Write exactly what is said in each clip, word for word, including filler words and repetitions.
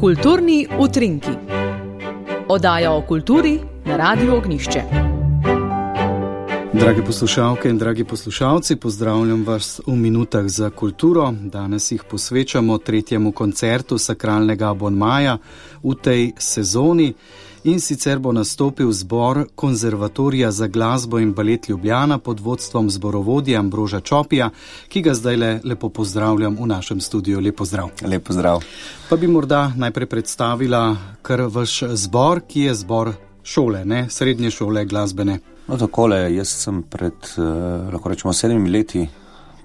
Kulturni utrinki. Oddaja o kulturi na Radiu Ognjišče. Dragi poslušalke in dragi poslušalci, pozdravljam vas v minutah za kulturo. Danes jih posvečamo tretjemu koncertu sakralnega abonmaja v tej sezoni. In sicer bo nastopil zbor Konzervatorija za glasbo in balet Ljubljana pod vodstvom zborovodje Ambroža Čopija, ki ga zdaj le, lepo pozdravljam v našem studiu. Lep pozdrav. Lep pozdrav. Pa bi morda najprej predstavila kar vaš zbor, ki je zbor šole, ne? Srednje šole glasbene. No takole, jaz sem pred, eh, lahko rečemo, sedmimi leti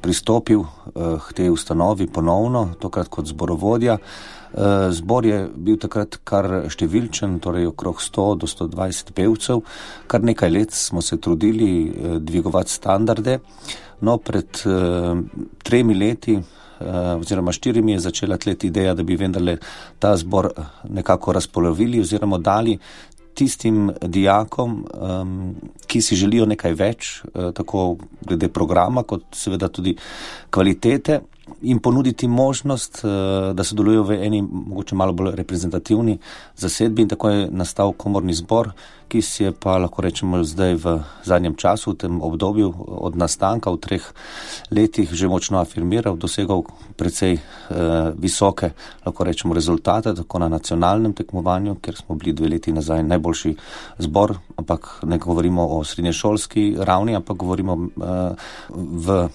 pristopil eh, k tej ustanovi ponovno, tokrat kot zborovodja. Zbor je bil takrat kar številčen, torej okrog sto do sto dvajset pevcev. Kar nekaj let smo se trudili dvigovati standarde. No, pred uh, tremi leti uh, oziroma štirimi je začela tleti ideja, da bi vendarle ta zbor nekako razpolovili oziroma dali tistim dijakom, um, ki si želijo nekaj več, uh, tako glede programa, kot seveda tudi kvalitete, in ponuditi možnost, da sodelujo v eni mogoče malo bolj reprezentativni zasedbi, in tako je nastal komorni zbor, ki si je pa, lahko rečemo, zdaj v zadnjem času, v tem obdobju od nastanka v treh letih že močno afirmiral, dosegal precej eh, visoke, lahko rečemo, rezultate, tako na nacionalnem tekmovanju, ker smo bili dve leti nazaj najboljši zbor, ampak ne govorimo o srednješolski ravni, ampak govorimo eh, v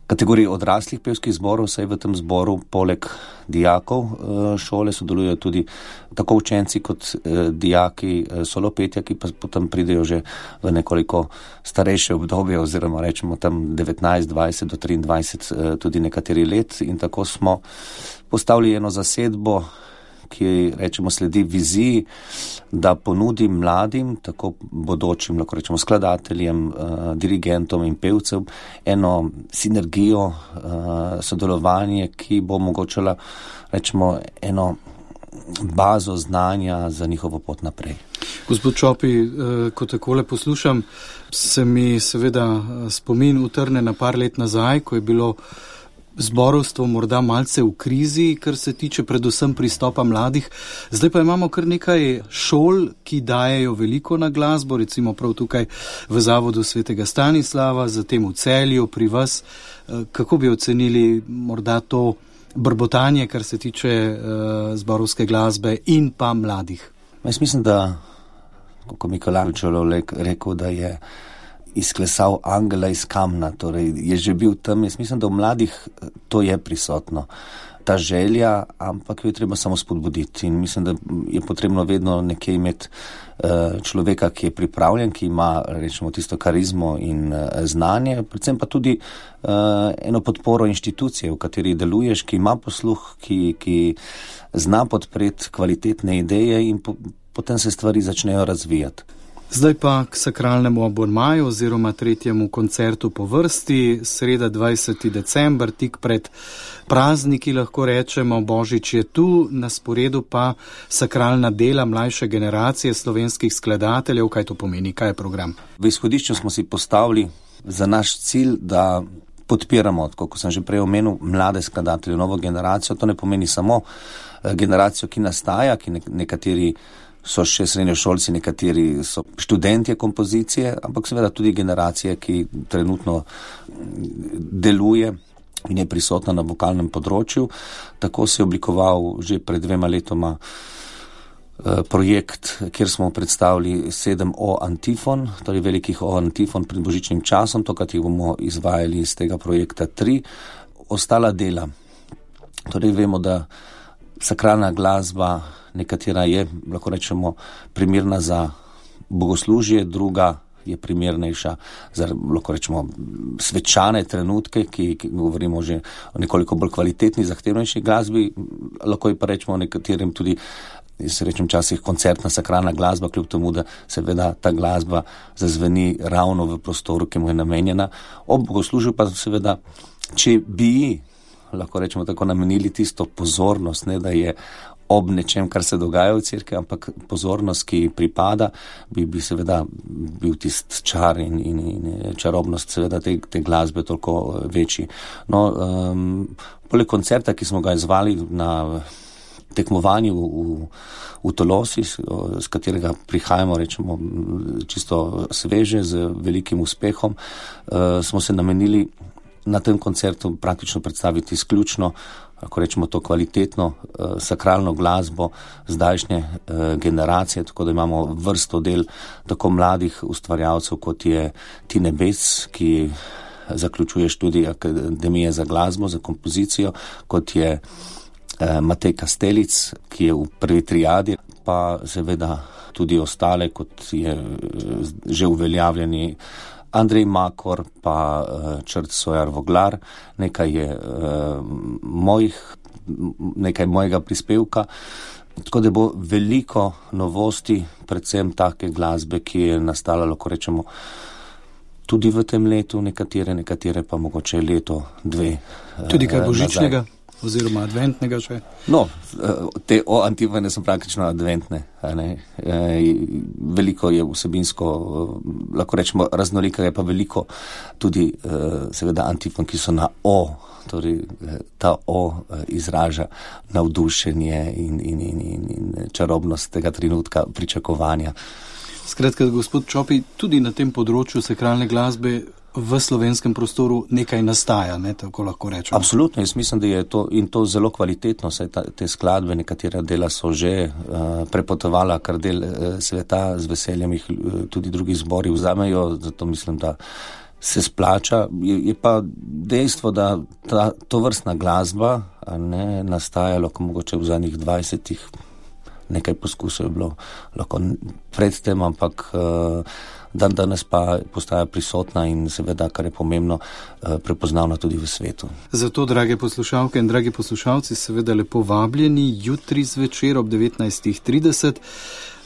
kategoriji odraslih pevskih zborov. Saj v tem zboru poleg dijakov šole sodelujejo tudi tako učenci kot dijaki solopetja, ki pa potem pridejo že v nekoliko starejše obdobje, oziroma rečemo tam devetnajst, dvajset do triindvajset tudi nekateri let, in tako smo postavili eno zasedbo, ki, rečemo, sledi viziji, da ponudi mladim, tako bodočim, lahko rečemo, skladateljem, uh, dirigentom in pevcev eno sinergijo, uh, sodelovanje, ki bo omogočala, rečemo, eno bazo znanja za njihovo pot naprej. Gospod Čopi, uh, ko takole poslušam, se mi seveda spomin utrne na par let nazaj, ko je bilo zborovstvo morda malce v krizi, kar se tiče predvsem pristopa mladih. Zdaj pa imamo kar nekaj šol, ki dajejo veliko na glasbo, recimo prav tukaj v Zavodu svetega Stanislava, zatem v Celju, pri vas. Kako bi ocenili morda to brbotanje, kar se tiče uh, zborovske glasbe in pa mladih? Jaz mislim, da, kako Michelangelo rekel, da je izklesal angela iz kamna, torej je že bil tam. Jaz mislim, da v mladih to je prisotno, ta želja, ampak jo je treba samo spodbuditi, in mislim, da je potrebno vedno nekje imeti uh, človeka, ki je pripravljen, ki ima, rečemo, tisto karizmo in uh, znanje, predvsem pa tudi uh, eno podporo inštitucije, v kateri deluješ, ki ima posluh, ki, ki zna podpreti kvalitetne ideje, in po, potem se stvari začnejo razvijati. Zdaj pa k sakralnemu abonmaju oziroma tretjemu koncertu po vrsti, sreda dvajseti december, tik pred prazniki, lahko rečemo, Božič je tu, na sporedu pa sakralna dela mlajše generacije slovenskih skladateljev. Kaj to pomeni, kaj je program? V izhodišču smo si postavili za naš cilj, da podpiramo, kot sem že prej omenil, mlade skladatelje, novo generacijo. To ne pomeni samo generacijo, ki nastaja, ki nekateri so še srednjošolci, nekateri so študentje kompozicije, ampak seveda tudi generacije, ki trenutno deluje in je prisotna na vokalnem področju. Tako se je oblikoval že pred dvema letoma projekt, kjer smo predstavili sedem O antifon, torej velikih O antifon pred božičnim časom, tokrat jih bomo izvajali iz tega projekta tri. Ostala dela. Torej vemo, da sakralna glasba, nekatera je, lahko rečemo, primerna za bogoslužje, druga je primernejša za, lahko rečemo, svečane trenutke, ki, ki govorimo že o nekoliko bolj kvalitetni, zahtevnejši glasbi. Lahko je pa rečemo nekaterim tudi, jaz rečem časih, koncertna sakralna glasba, kljub temu, da seveda ta glasba zazveni ravno v prostoru, ki mu je namenjena. Ob bogoslužju pa seveda, če bi, lahko rečemo tako, namenili tisto pozornost, ne da je ob nečem, kar se dogaja v cerkvi, ampak pozornost, ki pripada, bi, bi seveda bil tist čar in, in, in čarobnost seveda te, te glasbe toliko večji. No, um, poleg koncerta, ki smo ga izvali na tekmovanju v, v Tolosi, z katerega prihajamo, rečemo, čisto sveže, z velikim uspehom, smo se namenili na tem koncertu praktično predstaviti izključno, ako rečemo, to kvalitetno sakralno glasbo zdajšnje generacije, tako da imamo vrsto del tako mladih ustvarjalcev, kot je Tine Bec, ki zaključuje študij Akademije za glasbo, za kompozicijo, kot je Matej Kastelic, ki je v prvi triadi, pa seveda tudi ostale, kot je že uveljavljeni Andrej Makor, pa Črt Sojar Voglar, nekaj je mojih, nekaj mojega prispevka, tako da bo veliko novosti, predvsem take glasbe, ki je nastala, lahko rečemo, tudi v tem letu, nekatere, nekatere pa mogoče leto, dve. Tudi kaj božičnega? Oziroma adventnega še? No, te o antifone so praktično adventne. Ne? Veliko je vsebinsko, lahko rečemo, raznolikega, je pa veliko tudi seveda antifon, ki so na o, torej ta o izraža navdušenje in, in, in, in, in čarobnost tega trenutka pričakovanja. Skratka, gospod Čopi, tudi na tem področju sakralne glasbe v slovenskem prostoru nekaj nastaja, ne, tako lahko rečemo. Absolutno, jaz mislim, da je to in to zelo kvalitetno, saj ta, te skladbe, nekatera dela so že uh, prepotovala kar del uh, sveta, z veseljem jih uh, tudi drugi zbori vzamejo, zato mislim, da se splača. Je, je pa dejstvo, da ta, to vrstna glasba ne nastajalo, ko mogoče v zadnjih dvajsetih nekaj poskusov je bilo lahko predtem, ampak uh, dan danes pa postaja prisotna in seveda, kar je pomembno, uh, prepoznavna tudi v svetu. Zato, drage poslušalke in dragi poslušalci, seveda lepo vabljeni jutri zvečer ob devetnajstih trideset.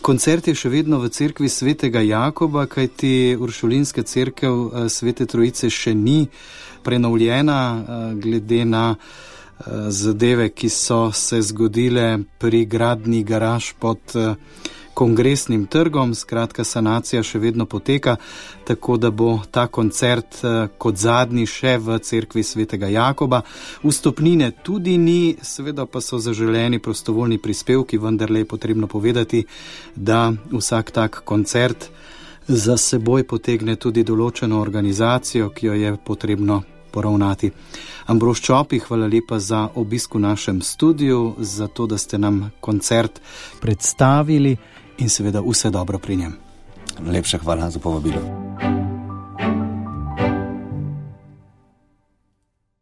Koncert je še vedno v cerkvi svetega Jakoba, kajti uršulinska cerkev Svete Trojice še ni prenovljena glede na zadeve, ki so se zgodile pri gradnji garaž pod Kongresnim trgom. Skratka, sanacija še vedno poteka, tako da bo ta koncert kot zadnji še v cerkvi svetega Jakoba. Vstopnine tudi ni, seveda pa so zaželeni prostovoljni prispevki, vendarle je potrebno povedati, da vsak tak koncert za seboj potegne tudi določeno organizacijo, ki jo je potrebno poravnati. Ambrož Čopi, hvala lepa za obisk v našem studiu, za to, da ste nam koncert predstavili in seveda vse dobro pri njem. Lepša hvala za povabilo.